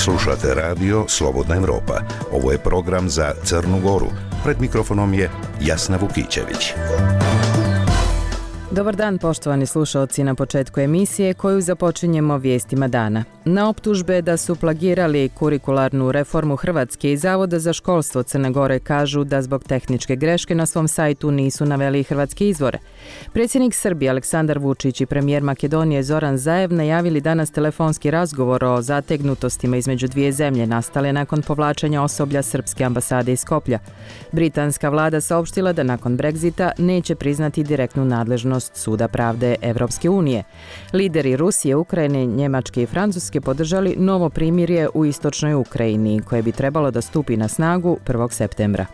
Slušate radio Slobodna Evropa. Ovo je program za Crnu Goru. Pred mikrofonom je Jasna Vukićević. Dobar dan, poštovani slušalci, na početku emisije koju započinjemo vijestima dana. Na optužbe da su plagirali kurikularnu reformu Hrvatske i Zavoda za školstvo Crne Gore kažu da zbog tehničke greške na svom sajtu nisu naveli hrvatske izvore. Predsjednik Srbije Aleksandar Vučić i premijer Makedonije Zoran Zaev najavili danas telefonski razgovor o zategnutostima između dvije zemlje nastale nakon povlačenja osoblja srpske ambasade iz Skoplja. Britanska vlada saopštila da nakon Brexita neće priznati direktnu nadležnost Suda pravde Evropske unije. Lideri Rusije, Ukrajine, Njemačke i Francuske podržali novo primirje u istočnoj Ukrajini koje bi trebalo da stupi na snagu 1. septembra.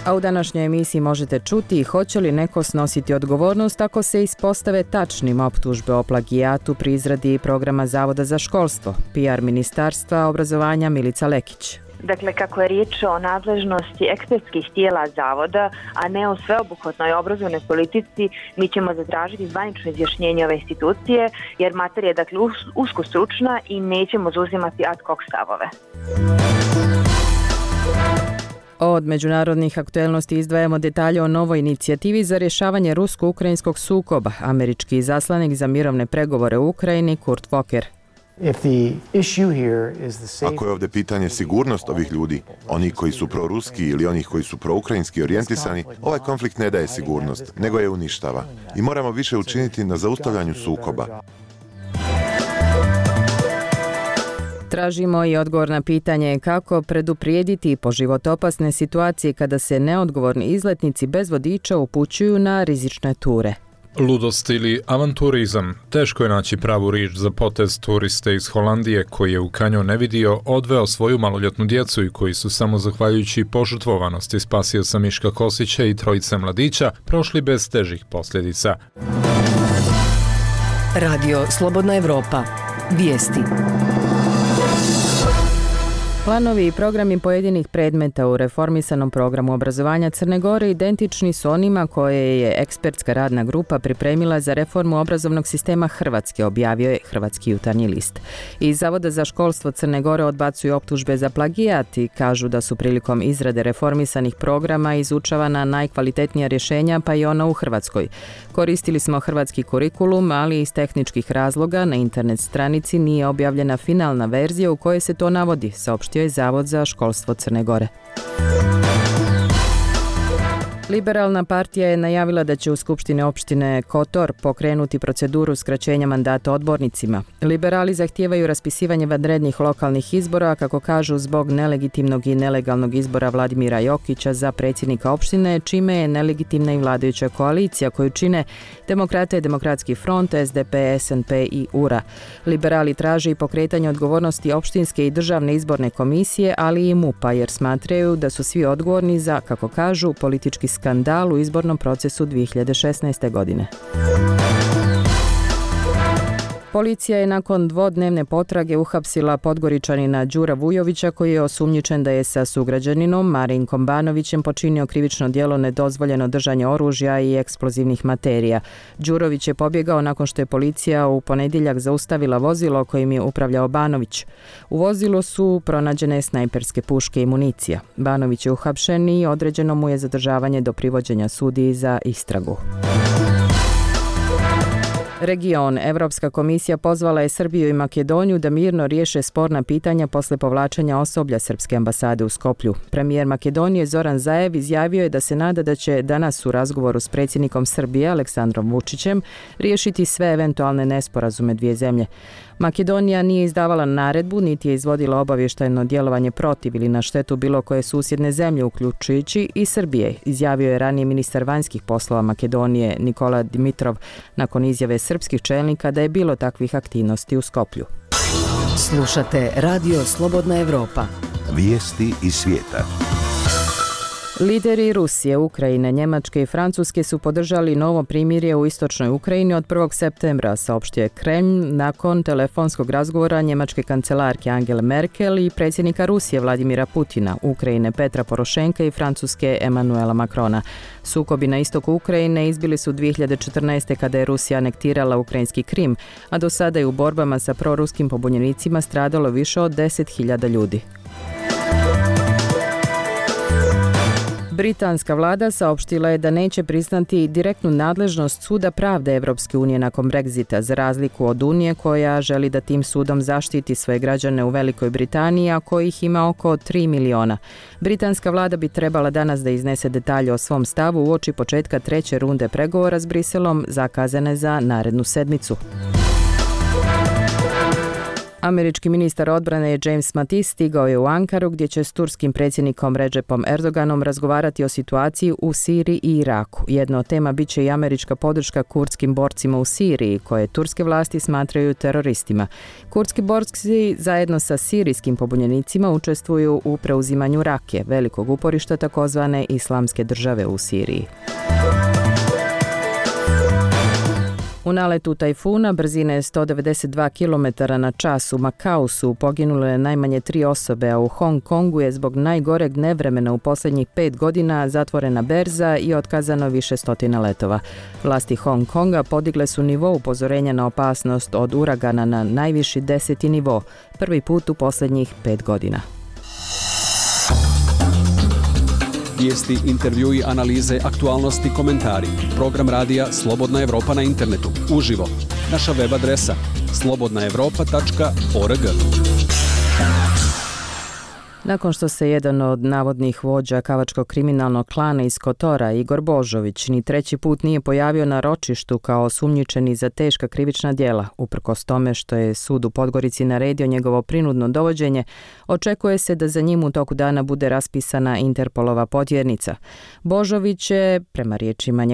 A u današnjoj emisiji možete čuti hoće li neko snositi odgovornost ako se ispostave tačnim optužbe o plagijatu pri izradi programa Zavoda za školstvo. PR Ministarstva obrazovanja Milica Lekić. Dakle, kako je riječ o nadležnosti ekspertskih tijela zavoda, a ne o sveobuhvatnoj obrazovnoj politici, mi ćemo zatražiti zvanično izjašnjenje ove institucije, jer materija je dakle usko stručna i nećemo zauzimati ad hoc stavove. Od međunarodnih aktuelnosti izdvajamo detalje o novoj inicijativi za rješavanje rusko-ukrajinskog sukoba. Američki izaslanik za mirovne pregovore u Ukrajini Kurt Volker. Ako je ovdje pitanje sigurnost ovih ljudi, oni koji su proruski ili onih koji su proukrajinski orijentisani, ovaj konflikt ne daje sigurnost, nego je uništava. I moramo više učiniti na zaustavljanju sukoba. Tražimo i odgovor na pitanje kako preduprijediti po životopasne situacije kada se neodgovorni izletnici bez vodiča upućuju na rizične ture. Ludost ili avanturizam. Teško je naći pravu riječ za potez turiste iz Holandije koji je u kanjon vidio odveo svoju maloljetnu djecu i koji su samo zahvaljujući požrtvovanosti spasio sam Miška Kosića i trojice mladića prošli bez težih posljedica. Radio Slobodna Evropa. Vijesti. Planovi i programi pojedinih predmeta u reformisanom programu obrazovanja Crne Gore identični su onima koje je ekspertska radna grupa pripremila za reformu obrazovnog sistema Hrvatske, objavio je Hrvatski jutarnji list. Iz Zavoda za školstvo Crne Gore odbacuju optužbe za plagijat i kažu da su prilikom izrade reformisanih programa izučavana najkvalitetnija rješenja, pa i ona u Hrvatskoj. Koristili smo hrvatski kurikulum, ali iz tehničkih razloga na internet stranici nije objavljena finalna verzija u kojoj se to navodi, saopštio je Zavod za školstvo Crne Gore. Liberalna partija je najavila da će u Skupštini opštine Kotor pokrenuti proceduru skraćenja mandata odbornicima. Liberali zahtijevaju raspisivanje vanrednih lokalnih izbora, kako kažu, zbog nelegitimnog i nelegalnog izbora Vladimira Jokića za predsjednika opštine, čime je nelegitimna i vladajuća koalicija koju čine Demokrate, Demokratski front, SDP, SNP i URA. Liberali traže i pokretanje odgovornosti opštinske i državne izborne komisije, ali i MUP-a, jer smatraju da su svi odgovorni za, kako kažu, politički skandal u izbornom procesu 2016. godine. Policija je nakon dvodnevne potrage uhapsila Podgoričanina Đura Vujovića koji je osumnjičen da je sa sugrađaninom Marinkom Banovićem počinio krivično djelo nedozvoljeno držanje oružja i eksplozivnih materija. Đurović je pobjegao nakon što je policija u ponedjeljak zaustavila vozilo kojim je upravljao Banović. U vozilu su pronađene snajperske puške i municija. Banović je uhapšen i određeno mu je zadržavanje do privođenja sudiji za istragu. Region. Evropska komisija pozvala je Srbiju i Makedoniju da mirno riješe sporna pitanja posle povlačenja osoblja srpske ambasade u Skoplju. Premijer Makedonije Zoran Zaev izjavio je da se nada da će danas u razgovoru s predsjednikom Srbije Aleksandrom Vučićem riješiti sve eventualne nesporazume dvije zemlje. Makedonija nije izdavala naredbu, niti je izvodila obavještajno djelovanje protiv ili na štetu bilo koje susjedne zemlje, uključujući i Srbije, izjavio je ranije ministar vanjskih poslova Makedonije Nikola Dimitrov nakon izjave srpskih čelnika da je bilo takvih aktivnosti u Skoplju. Slušate Radio Slobodna Evropa. Vijesti iz svijeta. Lideri Rusije, Ukrajine, Njemačke i Francuske su podržali novo primirje u istočnoj Ukrajini od 1. septembra, saopštio je Kremlj nakon telefonskog razgovora njemačke kancelarke Angele Merkel i predsjednika Rusije Vladimira Putina, Ukrajine Petra Porošenka i Francuske Emanuela Macrona. Sukobi na istoku Ukrajine izbili su 2014. kada je Rusija anektirala ukrajinski Krim, a do sada je u borbama sa proruskim pobunjenicima stradalo više od 10.000 ljudi. Britanska vlada saopštila je da neće priznati direktnu nadležnost Suda pravde Evropske unije nakon Brexita, za razliku od Unije koja želi da tim sudom zaštiti svoje građane u Velikoj Britaniji, a kojih ima oko 3 miliona. Britanska vlada bi trebala danas da iznese detalje o svom stavu uoči početka treće runde pregovora s Briselom, zakazane za narednu sedmicu. Američki ministar odbrane James Mattis stigao je u Ankaru gdje će s turskim predsjednikom Recepom Erdoganom razgovarati o situaciji u Siriji i Iraku. Jedna od tema bit će i američka podrška kurdskim borcima u Siriji, koje turske vlasti smatraju teroristima. Kurdski borci zajedno sa sirijskim pobunjenicima učestvuju u preuzimanju Rakije, velikog uporišta takozvane Islamske države u Siriji. U naletu tajfuna brzine 192 km na čas u Makau su poginule najmanje 3 osobe, a u Hong Kongu je zbog najgoreg nevremena u posljednjih 5 godina zatvorena berza i otkazano više stotina letova. Vlasti Hong Konga podigle su nivo upozorenja na opasnost od uragana na najviši 10. nivo, prvi put u posljednjih 5 godina. Vijesti, intervjui, analize, aktualnosti, komentari. Program radija Slobodna Evropa na internetu. Uživo. Naša web adresa slobodnaevropa.org. Nakon što se jedan od navodnih vođa kavačkog kriminalnog klana iz Kotora, Igor Božović, ni treći put nije pojavio na ročištu kao osumnjičeni za teška krivična djela, uprkos tome što je sud u Podgorici naredio njegovo prinudno dovođenje, očekuje se da za njim u toku dana bude raspisana Interpolova potjernica. Božović se, prema riječima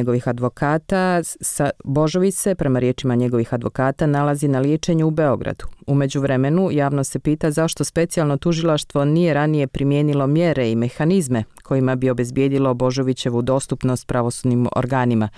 njegovih advokata, nalazi na liječenju u Beogradu. U međuvremenu javno se pita zašto specijalno tužilaštvo nije ranije primijenilo mjere i mehanizme kojima bi obezbijedilo Božovićevu dostupnost pravosudnim organima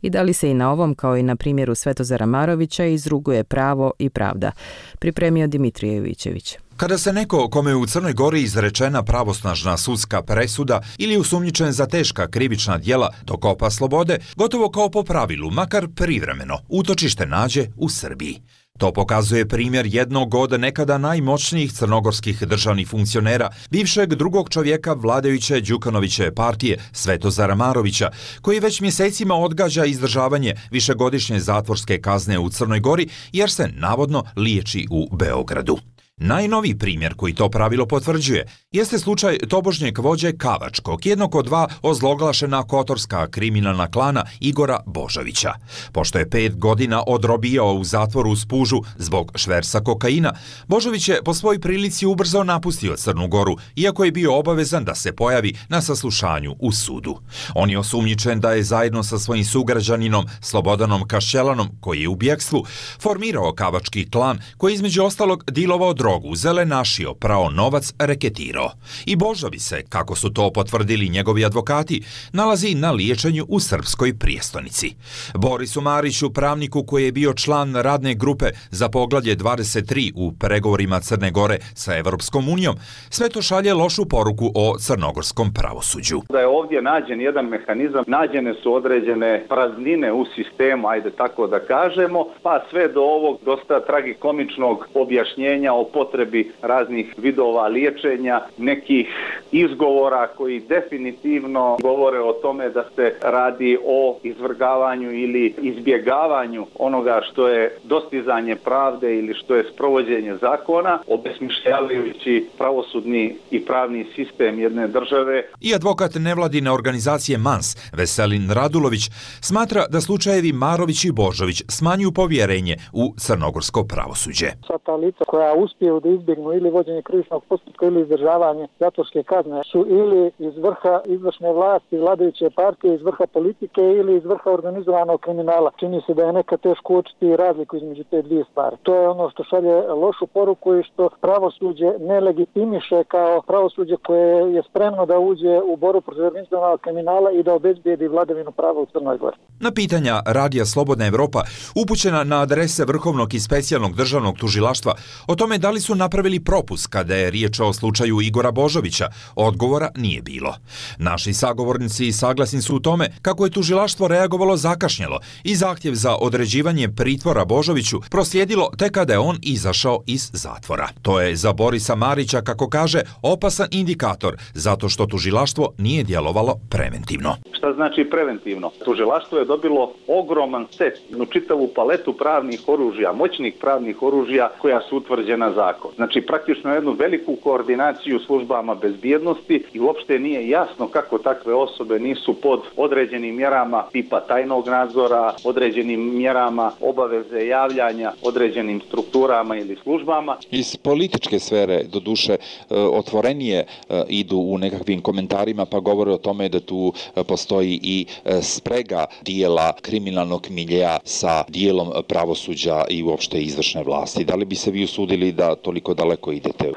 i da li se i na ovom, kao i na primjeru Svetozara Marovića, izruguje pravo i pravda. Pripremio Dimitrije Jovićević. Kada se neko kome je u Crnoj Gori izrečena pravosnažna sudska presuda ili osumnjičen za teška krivična djela dokopa slobode, gotovo kao po pravilu, makar privremeno, utočište nađe u Srbiji. To pokazuje primjer jednog od nekada najmoćnijih crnogorskih državnih funkcionera, bivšeg drugog čovjeka vladajuće Đukanoviće partije Svetozara Marovića, koji već mjesecima odgađa izdržavanje višegodišnje zatvorske kazne u Crnoj Gori jer se navodno liječi u Beogradu. Najnoviji primjer koji to pravilo potvrđuje jeste slučaj tobožnjeg vođe kavačkog, jednog od dva ozloglašena kotorska kriminalna klana Igora Božovića. Pošto je 5 godina odrobijao u zatvoru u Spužu zbog šverca kokaina, Božović je po svoj prilici ubrzo napustio Crnu Goru, iako je bio obavezan da se pojavi na saslušanju u sudu. On je osumnjičen da je zajedno sa svojim sugrađaninom Slobodanom Kašćelanom, koji je u bjekstvu, formirao kavački klan koji između ostalog dilovao drogu, zelenašio, prao novac, reketirao. I Božović se, kako su to potvrdili njegovi advokati, nalazi na liječenju u srpskoj prijestolnici. Borisu Mariću, pravniku koji je bio član radne grupe za poglavlje 23 u pregovorima Crne Gore sa Evropskom unijom, sve to šalje lošu poruku o crnogorskom pravosuđu. Da je ovdje nađen jedan mehanizam, nađene su određene praznine u sistemu, ajde tako da kažemo, pa sve do ovog dosta tragikomičnog objašnjenja o potrebi raznih vidova liječenja, nekih izgovora koji definitivno govore o tome da se radi o izvrgavanju ili izbjegavanju onoga što je dostizanje pravde ili što je sprovođenje zakona, obesmišljavajući pravosudni i pravni sistem jedne države. I advokat nevladine organizacije MANS, Veselin Radulović, smatra da slučajevi Marović i Božović smanjuju povjerenje u crnogorsko pravosuđe. Sva ta lica koja uspiju uspiju da izbjegnu ili vođenje krivičnog postupka ili izdržavanje zatvorske kazne su ili iz vrha izvršne vlasti, vladajuće partije, iz vrha politike ili iz vrha organizovanog kriminala. Čini se da je nekad teško uočiti razliku između te dvije stvari. To je ono što šalje lošu poruku i što pravosuđe ne legitimiše kao pravosuđe koje je spremno da uđe u borbu protiv organizovanog kriminala i da obezbijedi vladavinu prava u Crnoj Gori. Na pitanja Radija Slobodna Evropa upućena na adrese Vrhovnog i specijalnog državnog tužilaštva o tome da li su napravili propust kada je riječ o slučaju Igora Božovića, odgovora nije bilo. Naši sagovornici saglasni su u tome kako je tužilaštvo reagovalo zakašnjelo i zahtjev za određivanje pritvora Božoviću proslijedilo tek kada je on izašao iz zatvora. To je za Borisa Marića, kako kaže, opasan indikator zato što tužilaštvo nije djelovalo preventivno. Šta znači preventivno? Tužilaštvo je dobilo ogroman set, čitavu paletu pravnih oružja, moćnih pravnih oružja koja su utvrđena zakon. Znači praktično jednu veliku koordinaciju službama bezbjednosti i uopšte nije jasno kako takve osobe nisu pod određenim mjerama tipa tajnog nadzora, određenim mjerama obaveze javljanja određenim strukturama ili službama. Iz političke sfere, doduše, otvorenije idu u nekakvim komentarima pa govore o tome da tu postoji i sprega dijela kriminalnog miljeja sa dijelom pravosuđa i uopšte izvršne vlasti. Da li bi se vi usudili da toliko daleko idete?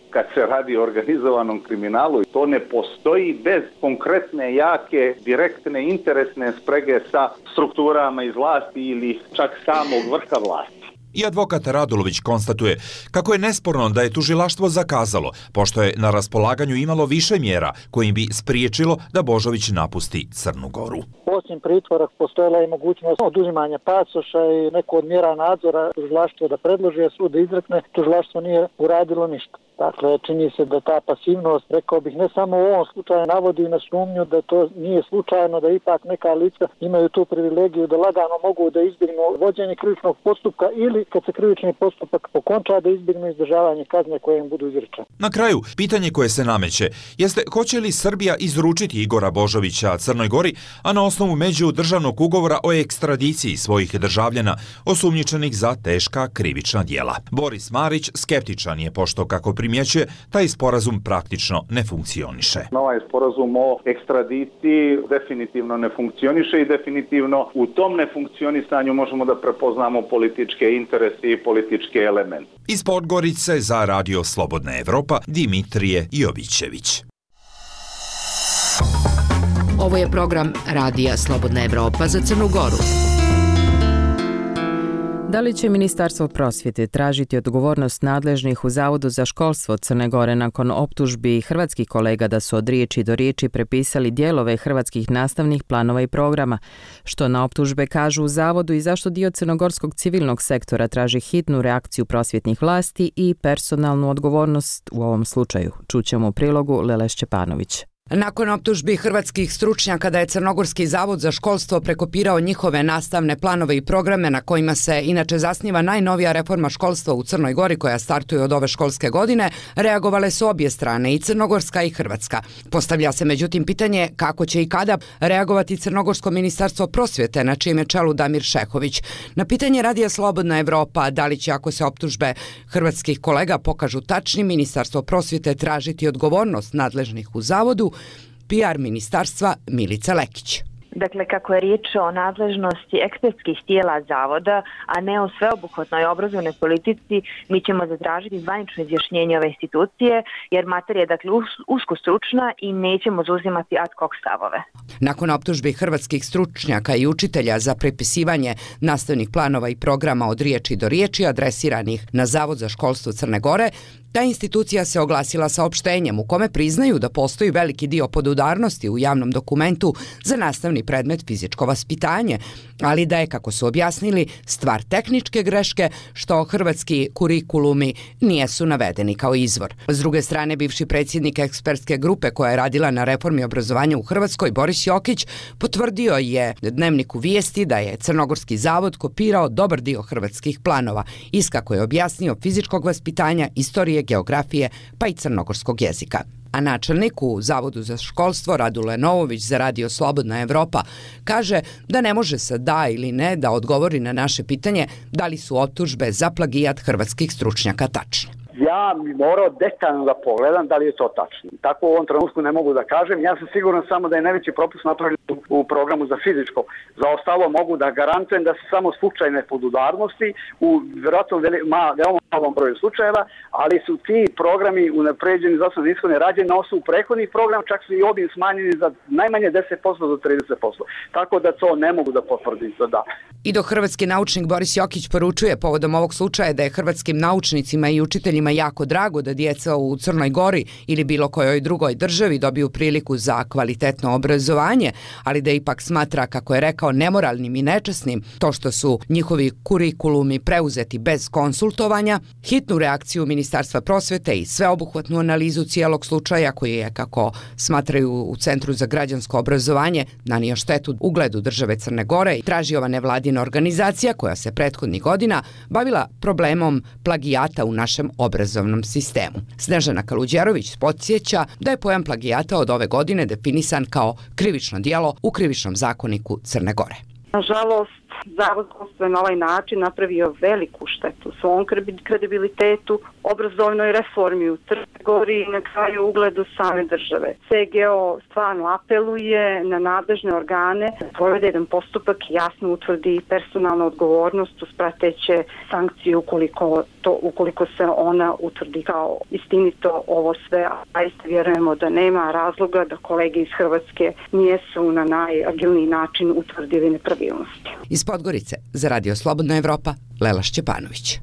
Kad se radi o organizovanom kriminalu, to ne postoji bez konkretne, jake, direktne, interesne sprege sa strukturama iz vlasti ili čak samog vrha vlasti. I advokat Radulović konstatuje kako je nesporno da je tužilaštvo zakazalo, pošto je na raspolaganju imalo više mjera kojim bi spriječilo da Božović napusti Crnu Goru. Osim pritvora postojala je mogućnost oduzimanja pasoša i neko od mjera nadzora tužilaštvo da predloži, a sud da izrekne, tužilaštvo nije uradilo ništa. Dakle, čini se da ta pasivnost, rekao bih, ne samo u ovom slučaju navodi na sumnju da to nije slučajno, da ipak neka lica imaju tu privilegiju da lagano mogu da izbjegnu vođenje krivičnog postupka ili kad se krivični postupak okonča da izbjegnu izdržavanje kazne koje im budu izrečene. Na kraju, pitanje koje se nameće jeste hoće li Srbija izručiti Igora Božovića Crnoj Gori, a na osnovu međudržavnog ugovora o ekstradiciji svojih državljana osumnjičenih za teška krivična djela. Boris Marić skeptičan je, pošto, kako primjećuje, taj sporazum praktično ne funkcioniše. Ovaj sporazum o ekstradiciji definitivno ne funkcioniše i definitivno u tom nefunkcionisanju možemo da prepoznamo političke interese i političke elemente. Iz Podgorice za Radio Slobodna Evropa, Dimitrije Jovićević. Ovo je program Radija Slobodna Evropa za Crnu Goru. Da li će Ministarstvo prosvjete tražiti odgovornost nadležnih u Zavodu za školstvo Crne Gore nakon optužbi hrvatskih kolega da su od riječi do riječi prepisali dijelove hrvatskih nastavnih planova i programa? Što na optužbe kažu u Zavodu i zašto dio crnogorskog civilnog sektora traži hitnu reakciju prosvjetnih vlasti i personalnu odgovornost u ovom slučaju? Čućemo u prilogu Lele Šćepanović. Nakon optužbi hrvatskih stručnjaka da je Crnogorski zavod za školstvo prekopirao njihove nastavne planove i programe na kojima se inače zasniva najnovija reforma školstva u Crnoj Gori koja startuje od ove školske godine, reagovale su obje strane, i crnogorska i hrvatska. Postavlja se međutim pitanje kako će i kada reagovati Crnogorsko ministarstvo prosvjete na čijem je čelu Damir Šehović. Na pitanje Radija Slobodna Evropa da li će, ako se optužbe hrvatskih kolega pokažu tačni, Ministarstvo prosvjete tražiti odgovornost nadležnih u zavodu, PR ministarstva Milica Lekić. Dakle, kako je riječ o nadležnosti ekspertskih tijela zavoda, a ne o sveobuhvatnoj obrazovnoj politici, mi ćemo zatražiti zvanično izjašnjenje ove institucije, jer materija je dakle usko stručna i nećemo zauzimati ad hoc stavove. Nakon optužbi hrvatskih stručnjaka i učitelja za prepisivanje nastavnih planova i programa od riječi do riječi adresiranih na Zavod za školstvo Crne Gore, ta institucija se oglasila saopštenjem u kome priznaju da postoji veliki dio podudarnosti u javnom dokumentu za nastavni predmet fizičko vaspitanje, ali da je, kako su objasnili, stvar tehničke greške što hrvatski kurikulumi nijesu navedeni kao izvor. S druge strane, bivši predsjednik ekspertske grupe koja je radila na reformi obrazovanja u Hrvatskoj, Boris Jokić, potvrdio je Dnevniku Vijesti da je Crnogorski zavod kopirao dobar dio hrvatskih planova, kako je objasnio fizičkog vaspitanja, istorije, geografije pa i crnogorskog jezika. A načelnik u Zavodu za školstvo Radule Novović za Radio Slobodna Evropa kaže da ne može sa da ili ne da odgovori na naše pitanje da li su optužbe za plagijat hrvatskih stručnjaka tačne. Ja bi morao detaljno da pogledam da li je to tačno. Tako u ovom trenutku ne mogu da kažem. Ja sam siguran samo da je najveći propust napravljen u programu za fizičko. Za ostalo mogu da garantujem da su samo slučajne podudarnosti u vjerojatno veoma malom broju slučajeva, ali su ti programi unapređeni za osnovne ishode rađeni na osnovu prethodnih programa, čak su i obim smanjeni za najmanje 10% do 30%. Tako da to ne mogu da potvrdim. Da. I dok hrvatski naučnik Boris Jokić poručuje povodom ovog slučaja da je hrvatskim naučnicima i učiteljima jako drago da djeca u Crnoj Gori ili bilo kojoj drugoj državi dobiju priliku za kvalitetno obrazovanje, ali da ipak smatra, kako je rekao, nemoralnim i nečasnim to što su njihovi kurikulumi preuzeti bez konsultovanja, hitnu reakciju Ministarstva prosvete i sveobuhvatnu analizu cijelog slučaja koji je, kako smatraju u Centru za građansko obrazovanje, nanio štetu ugledu države Crne Gore i traži ova nevladina organizacija koja se prethodnih godina bavila problemom plagijata u našem obrazovnom sistemu. Snežana Kaluđerović podsjeća da je pojam plagijata od ove godine definisan kao krivično djelo u Krivičnom zakoniku Crne Gore. Nažalost, Zavod je na ovaj način napravio veliku štetu svom kredibilitetu, obrazovnoj reformi u Crnoj Gori i na kraju ugledu same države. CGO stvarno apeluje na nadležne organe da provede jedan postupak i jasno utvrdi personalnu odgovornost uz prateće sankcije ukoliko se ona utvrdi kao istinito ovo sve, a isto vjerujemo da nema razloga da kolege iz Hrvatske nijesu na najagilniji način utvrdili nepravilnosti. Iz Podgorice za Radio Slobodna Evropa, Lela Šćepanović.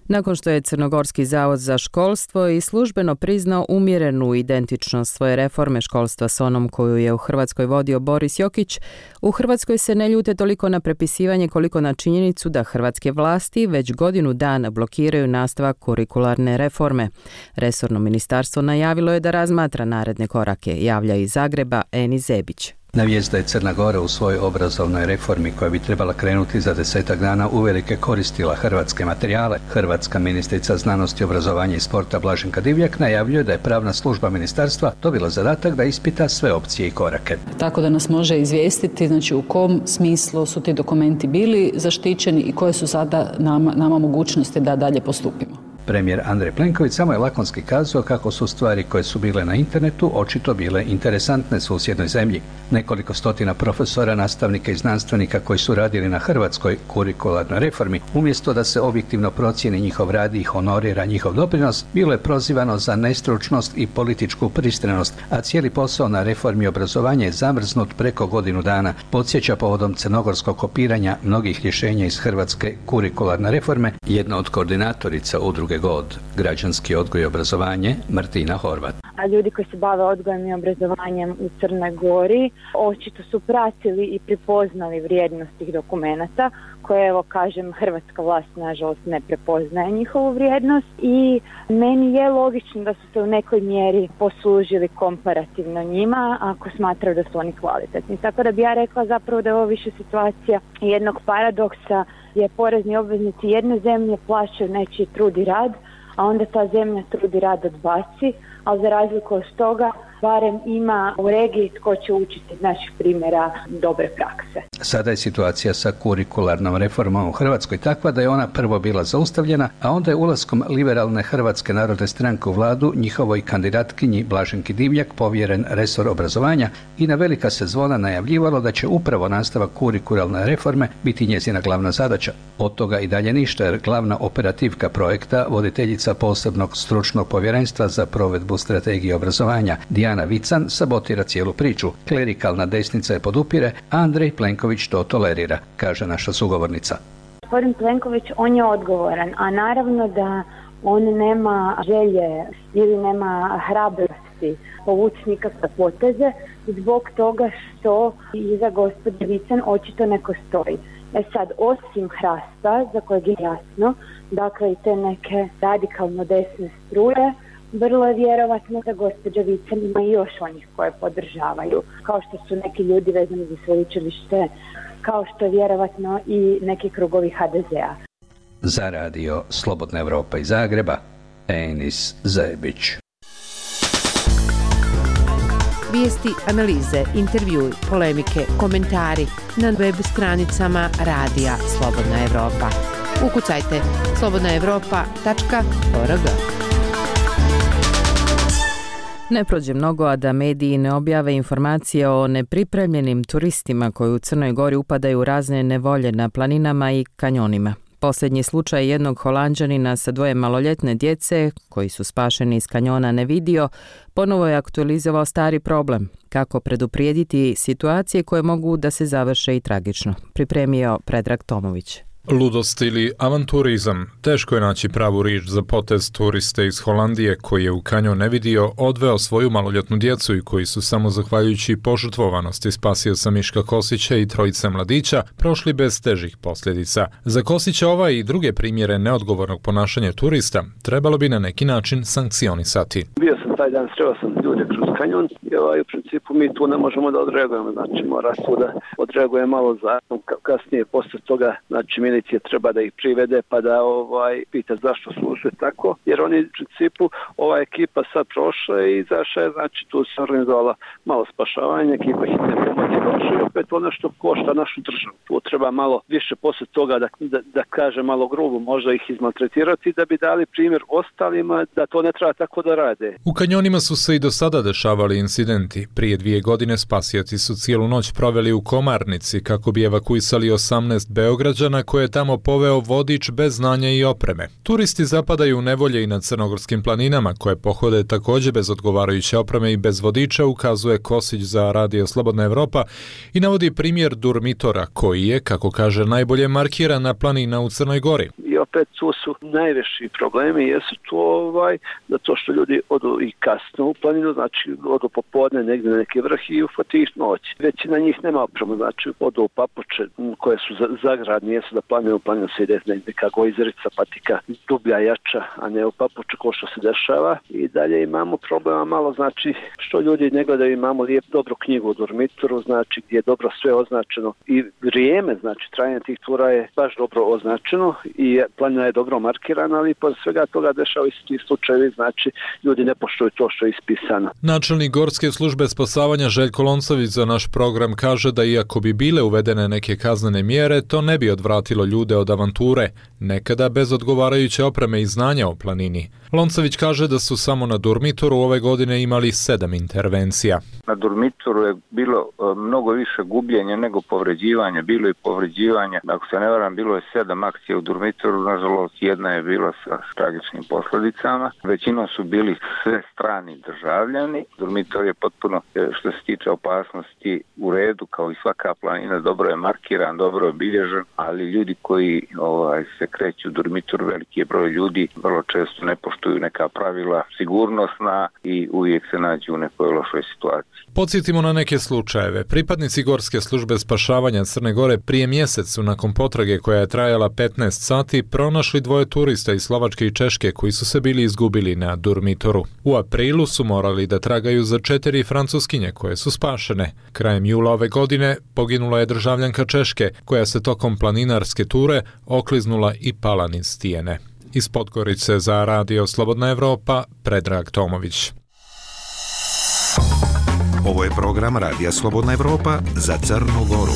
Nakon što je Crnogorski zavod za školstvo i službeno priznao umjerenu identičnost svoje reforme školstva s onom koju je u Hrvatskoj vodio Boris Jokić, u Hrvatskoj se ne ljute toliko na prepisivanje koliko na činjenicu da hrvatske vlasti već godinu dana blokiraju nastavak kurikularne reforme. Resorno ministarstvo najavilo je da razmatra naredne korake, javlja iz Zagreba Eni Zebić. Na vijest da je Crna Gora u svojoj obrazovnoj reformi koja bi trebala krenuti za 10 dana uvelike koristila hrvatske materijale, hrvatska ministrica znanosti, obrazovanja i sporta Blaženka Divjak najavljuje da je pravna služba ministarstva dobila zadatak da ispita sve opcije i korake. Tako da nas može izvijestiti, znači u kom smislu su ti dokumenti bili zaštićeni i koje su sada nama mogućnosti da dalje postupimo. Premijer Andrej Plenković samo je lakonski kazao kako su stvari koje su bile na internetu očito bile interesantne susjednoj zemlji. Nekoliko stotina profesora, nastavnika i znanstvenika koji su radili na hrvatskoj kurikularnoj reformi, umjesto da se objektivno procijeni njihov rad i honorira njihov doprinos, bilo je prozivano za nestručnost i političku pristranost, a cijeli posao na reformi obrazovanja je zamrznut preko godinu dana. Podsjeća povodom crnogorskog kopiranja mnogih rješenja iz hrvatske kurikularne reforme jedna od koordinatorica udruge GOD, građanski odgoj i obrazovanje, Martina Horvat. A ljudi koji se bave odgojem i obrazovanjem u Crnoj Gori očito su pratili i prepoznali vrijednost tih dokumenata koje, evo kažem, hrvatska vlast nažalost ne prepoznaje njihovu vrijednost i meni je logično da su se u nekoj mjeri poslužili komparativno njima ako smatraju da su oni kvalitetni. Tako da bi ja rekla zapravo da je ovo više situacija jednog paradoksa gdje porezni obveznici jedne zemlje plaćaju nečiji trud i rad, a onda ta zemlja trud i rad odbaci, ali za razliku od toga barem ima u regiji tko će učiti iz naših primjera dobre prakse. Sada je situacija sa kurikularnom reformom u Hrvatskoj takva da je ona prvo bila zaustavljena, a onda je ulaskom liberalne Hrvatske narodne stranke u vladu njihovoj kandidatkinji Blaženki Divjak povjeren resor obrazovanja i na velika se zvona najavljivalo da će upravo nastavak kurikularne reforme biti njezina glavna zadaća. Od toga i dalje ništa, jer glavna operativka projekta, voditeljica posebnog stručnog povjerenstva za provedbu strategije obrazovanja Dijana Vican, sabotira cijelu priču. Klerikalna desnica je podupire, a Andrej Plenković to tolerira, kaže naša sugovornica. Gospodin Plenković, on je odgovoran, a naravno da on nema želje ili nema hrabrosti povući nikakve poteze zbog toga što iza gospođe Vican očito neko stoji. Sad, osim Hrasta, za kojeg je jasno, dakle i te neke radikalno desne struje, vrlo je vjerovatno da gospođa Vican ima i još onih koje podržavaju, kao što su neki ljudi vezani za sveučilište, kao što je vjerovatno i neki krugovi HDZ-a. Za Radio Slobodna Evropa iz Zagreba, Enis Zebić. Vijesti, analize, intervjui, polemike, komentari na web stranicama Radija Slobodna Evropa. Ukucajte slobodnaevropa.org. Ne prođe mnogo, a da mediji ne objave informacije o nepripremljenim turistima koji u Crnoj Gori upadaju u razne nevolje na planinama i kanjonima. Posljednji slučaj jednog Holanđanina sa 2 maloljetne djece, koji su spašeni iz kanjona Nevidio, ponovo je aktualizovao stari problem, kako preduprijediti situacije koje mogu da se završe i tragično. Pripremio Predrag Tomović. Ludost ili avanturizam. Teško je naći pravu riječ za potez turiste iz Holandije koji je u kanjon Nevidio odveo svoju maloljetnu djecu i koji su samo zahvaljujući požrtvovanosti spasio sa Miška Kosića i 3 mladića prošli bez težih posljedica. Za Kosića ova i druge primjere neodgovornog ponašanja turista trebalo bi na neki način sankcionisati. Bio sam taj dan, sreo sam ljude kroz kanjon i u principu mi tu ne možemo da odreagujemo, znači mora tu da odreaguje malo zakon, kasnije posle toga, znači milicija treba da ih privede pa da pita zašto služe tako, jer oni u principu ova ekipa sad prošla i izašla je, znači tu se organizovala malo spašavanje, ekipa hitne pomoći došla i opet ono što košta našu državu. Tu treba malo više posle toga da kaže malo grubo, možda ih izmaltretirati da bi dali primjer ostalima da to ne treba tako da rade. U kanjonima su se i do sada dešavali incidenti. Prije 2 godine spasioci su cijelu noć proveli u Komarnici kako bi evakuisali 18 Beograđana koje je tamo poveo vodič bez znanja i opreme. Turisti zapadaju u nevolje i na crnogorskim planinama koje pohode također bez odgovarajuće opreme i bez vodiča, ukazuje Kosić za Radio Slobodna Evropa i navodi primjer Durmitora koji je, kako kaže, najbolje markirana planina u Crnoj Gori. I opet tu su najveći problemi, jesu to zato što ljudi odu i kasno u planinu, znači odu popodne negdje na neki vrh i ufati ih noć. Većina njih nema opremu, znači odu u papuče koje su zagradne, jesu da planinu se ide neka gojzerica, patika dublja, jača, a ne u papuču ko što se dešava. I dalje imamo problema malo, znači što ljudi ne gledaju, imamo dobru knjigu u Durmitoru, znači gdje je dobro sve označeno i vrijeme, znači trajanje tih tura je baš dobro označeno i planina je dobro markirana, ali pored svega toga dešava isti slučajevi, znači ljudi ne poštuju to što je ispisano. Načelnik Gorske službe spasavanja Željko Loncović za naš program kaže da iako bi bile uvedene neke kaznene mjere, to ne bi odvratilo ljude od avanture, nekada bez odgovarajuće opreme i znanja o planini. Loncović kaže da su samo na Durmitoru ove godine imali 7 intervencija. Na Durmitoru je bilo mnogo više gubljenja nego povređivanja, bilo i povređivanja. Ako se ne varam, bilo je 7 akcija u Durmitoru, nažalost jedna je bila sa tragičnim posljedicama. Većinom su bili sve strani državljani. Durmitor je potpuno, što se tiče opasnosti, u redu, kao i svaka planina, dobro je markiran, dobro je obilježen, ali ljudi koji se kreću u Durmitoru, veliki je broj ljudi, vrlo često ne poštuju neka pravila sigurnosna i uvijek se nađu u nekoj lošoj situaciji. Podsjetimo na neke slučajeve. Pripadnici Gorske službe spašavanja Crne Gore prije mjesec su nakon potrage koja je trajala 15 sati pronašli 2 turista iz Slovačke i Češke koji su se bili izgubili na Durmitoru. U aprilu su morali da tragaju za 4 Francuskinje koje su spašene. Krajem jula ove godine poginula je državljanka Češke koja se tokom planinarske ture okliznula i pala niz stijene. Iz Podgorice za Radio Slobodna Evropa, Predrag Tomović. Ovo je program Radija Slobodna Evropa za Crnu Goru.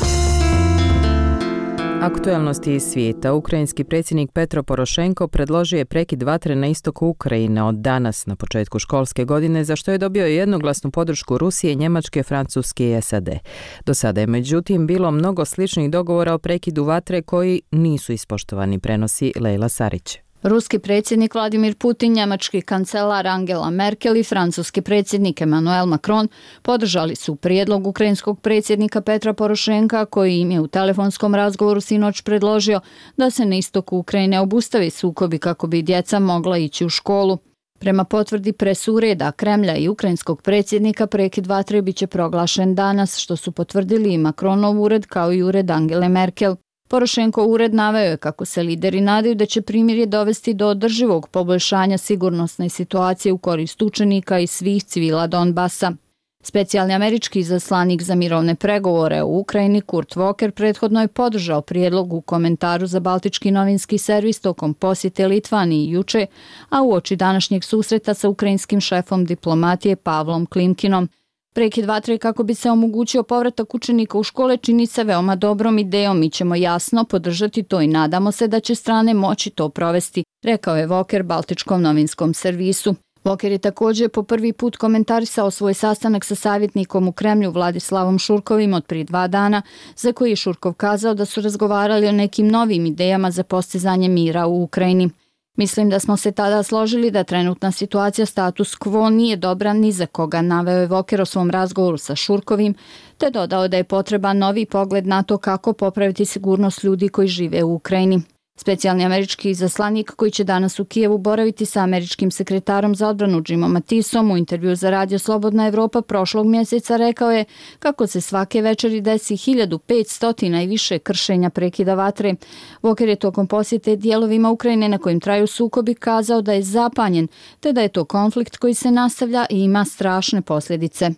Aktualnosti iz svijeta. Ukrajinski predsjednik Petro Porošenko predložio je prekid vatre na istoku Ukrajine od danas na početku školske godine, za što je dobio jednoglasnu podršku Rusije, Njemačke, Francuske i SAD. Do sada je međutim bilo mnogo sličnih dogovora o prekidu vatre koji nisu ispoštovani, prenosi Lejla Sarić. Ruski predsjednik Vladimir Putin, njemački kancelar Angela Merkel i francuski predsjednik Emmanuel Macron podržali su prijedlog ukrajinskog predsjednika Petra Porošenka koji im je u telefonskom razgovoru sinoć predložio da se na istoku Ukrajine obustavi sukobi kako bi djeca mogla ići u školu. Prema potvrdi presureda Kremlja i ukrajinskog predsjednika, prekid vatre biće proglašen danas, što su potvrdili i Macronov ured kao i ured Angele Merkel. Porošenko ured naveo je kako se lideri nadaju da će primirje dovesti do održivog poboljšanja sigurnosne situacije u korist učenika i svih civila Donbasa. Specijalni američki izaslanik za mirovne pregovore u Ukrajini Kurt Walker prethodno je podržao prijedlog u komentaru za Baltički novinski servis tokom posjete Litvaniji juče, a uoči današnjeg susreta sa ukrajinskim šefom diplomatije Pavlom Klimkinom. Prekid vatre kako bi se omogućio povratak učenika u škole čini se veoma dobrom idejom. Mi ćemo jasno podržati to i nadamo se da će strane moći to provesti, rekao je Walker Baltičkom novinskom servisu. Voker je također po prvi put komentarisao svoj sastanak sa savjetnikom u Kremlju Vladislavom Šurkovim od prije 2 dana, za koji je Šurkov kazao da su razgovarali o nekim novim idejama za postizanje mira u Ukrajini. Mislim da smo se tada složili da trenutna situacija status quo nije dobra ni za koga, naveo je Voker o svom razgovoru sa Šurkovim, te dodao da je potreban novi pogled na to kako popraviti sigurnost ljudi koji žive u Ukrajini. Specijalni američki izaslanik koji će danas u Kijevu boraviti sa američkim sekretarom za odbranu Jimom Mattisom u intervju za Radio Slobodna Evropa prošlog mjeseca rekao je kako se svake večeri desi 1500 i više kršenja prekida vatre. Voker je tokom posjete dijelovima Ukrajine na kojim traju sukobi kazao da je zapanjen, te da je to konflikt koji se nastavlja i ima strašne posljedice.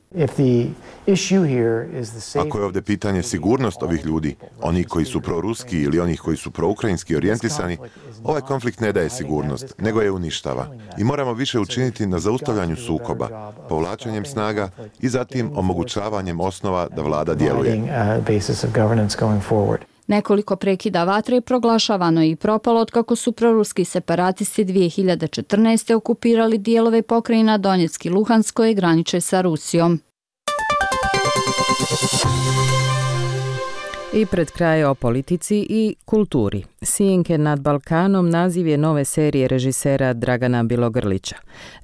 Ako je ovdje pitanje sigurnost ovih ljudi, oni koji su proruski ili onih koji su proukrajinski orijentisani, ovaj konflikt ne daje sigurnost, nego je uništava. I moramo više učiniti na zaustavljanju sukoba, povlačenjem snaga i zatim omogućavanjem osnova da vlada djeluje. Nekoliko prekida vatre proglašavano je i propalo otkako su proruski separatisti 2014. okupirali dijelove pokrajina Donjeck i Luhansk koje graniče sa Rusijom. I pred kraj o politici i kulturi. Sjenke nad Balkanom naziv je nove serije režisera Dragana Bjelogrlića.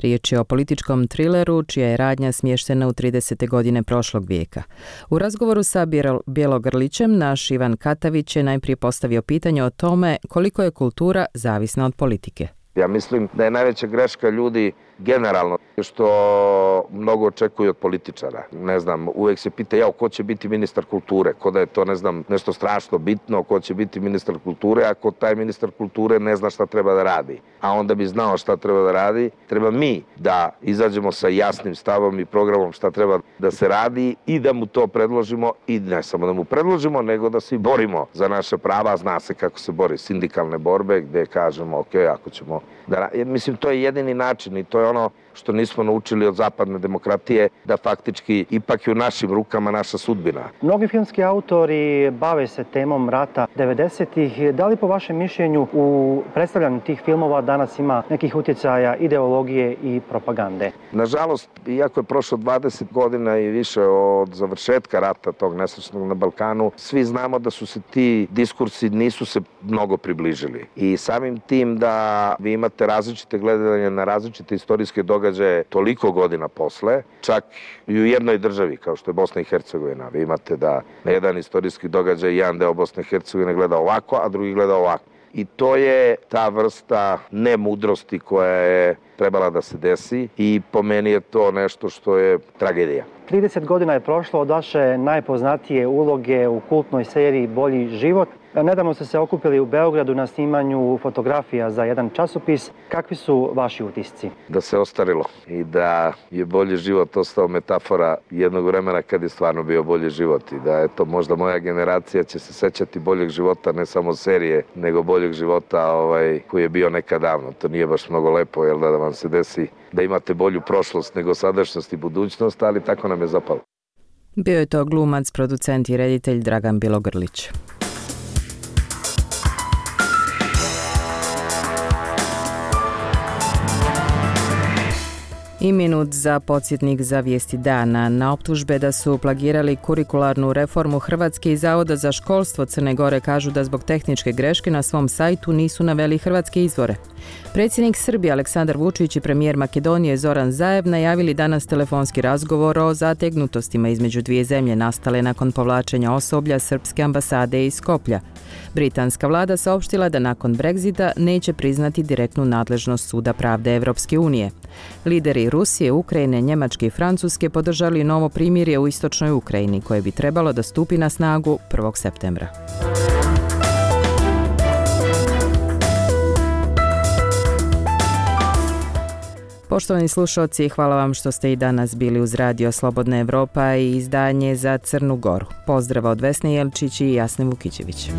Riječ je o političkom trileru čija je radnja smještena u 30. godine prošlog vijeka. U razgovoru sa Bjelogrlićem naš Ivan Katavić je najprije postavio pitanje o tome koliko je kultura zavisna od politike. Ja mislim da je najveća greška ljudi generalno što mnogo očekuju od političara. Ne znam, uvijek se pita ko će biti ministar kulture, ko da je to nešto strašno bitno, ko će biti ministar kulture, ako taj ministar kulture ne zna šta treba da radi. A onda bi znao šta treba da radi, treba mi da izađemo sa jasnim stavom i programom šta treba da se radi i da mu to predložimo i ne samo da mu predložimo, nego da se borimo za naše prava. Zna se kako se bori sindikalne borbe gdje kažemo ako ćemo da... Mislim, to je jedini način i to je ono što nismo naučili od zapadne demokratije, da faktički ipak je u našim rukama naša sudbina. Mnogi filmski autori bave se temom rata 90-ih. Da li po vašem mišljenju u predstavljanju tih filmova danas ima nekih utjecaja ideologije i propagande? Nažalost, iako je prošlo 20 godina i više od završetka rata tog nesrećnog na Balkanu, svi znamo da su se ti diskursi nisu se mnogo približili. I samim tim da vi imate različite gledanje na različite istorijske događaje toliko godina posle, čak i u jednoj državi kao što je Bosna i Hercegovina. Vi imate da na jedan istorijski događaj jedan deo Bosne i Hercegovine gleda ovako, a drugi gleda ovako. I to je ta vrsta nemudrosti koja je trebala da se desi i po meni je to nešto što je tragedija. 30 godina je prošlo od vaše najpoznatije uloge u kultnoj seriji Bolji život. Nedavno ste se okupili u Beogradu na snimanju fotografija za jedan časopis. Kakvi su vaši utisci? Da se ostarilo i da je bolji život ostao metafora jednog vremena kad je stvarno bio bolji život i da možda moja generacija će se sećati boljeg života, ne samo serije, nego boljeg života koji je bio nekad davno. To nije baš mnogo lepo, da vam se desi da imate bolju prošlost nego sadašnjost i budućnost, ali tako nam je zapalo. Bio je to glumac, producent i reditelj Dragan Bjelogrlić. I minut za podsjetnik za vijesti dana. Na optužbe da su plagirali kurikularnu reformu Hrvatske i Zavoda za školstvo Crne Gore kažu da zbog tehničke greške na svom sajtu nisu naveli hrvatske izvore. Predsjednik Srbije Aleksandar Vučić i premijer Makedonije Zoran Zaev najavili danas telefonski razgovor o zategnutostima između dvije zemlje nastale nakon povlačenja osoblja srpske ambasade iz Skoplja. Britanska vlada saopštila da nakon Brexita neće priznati direktnu nadležnost Suda pravde Evropske unije. Lideri Rusije, Ukrajine, Njemačke i Francuske podržali novo primirje u istočnoj Ukrajini koje bi trebalo da stupi na snagu 1. septembra. Poštovani slušalci, hvala vam što ste i danas bili uz Radio Slobodna Evropa i izdanje za Crnu Goru. Pozdrav od Vesne Jelčić i Jasne Vukićević.